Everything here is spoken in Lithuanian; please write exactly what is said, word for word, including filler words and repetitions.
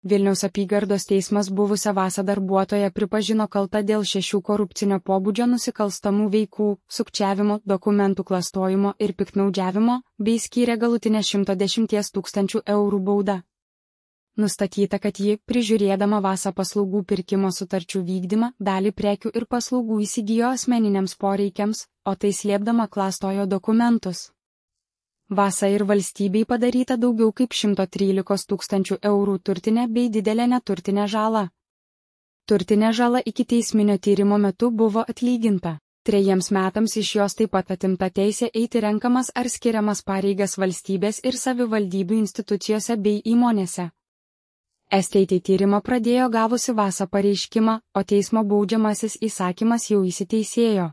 Vilniaus apygardos teismas buvusią Vasą darbuotoją pripažino kalta dėl šešių korupcinio pobūdžio nusikalstamų veikų, sukčiavimo, dokumentų klastojimo ir piktnaudžiavimo, bei skyrė galutinę šimto dešimties tūkstančių eurų baudą. Nustatyta, kad ji, prižiūrėdama Vasą paslaugų pirkimo sutarčių vykdymą, dalį prekių ir paslaugų įsigijo asmeniniams poreikiams, o tai slėpdama klastojo dokumentus. Vasą ir valstybei padaryta daugiau kaip šimto trylikos tūkstančių eurų turtinė bei didelė neturtinė žala. Turtinė žala iki teisminio tyrimo metu buvo atlyginta. Trejiems metams iš jos taip pat atimta teisė eiti renkamas ar skiriamas pareigas valstybės ir savivaldybių institucijose bei įmonėse. S T T tyrimą pradėjo gavusi Vasą pareiškimą, o teismo baudžiamasis įsakymas jau įsiteisėjo.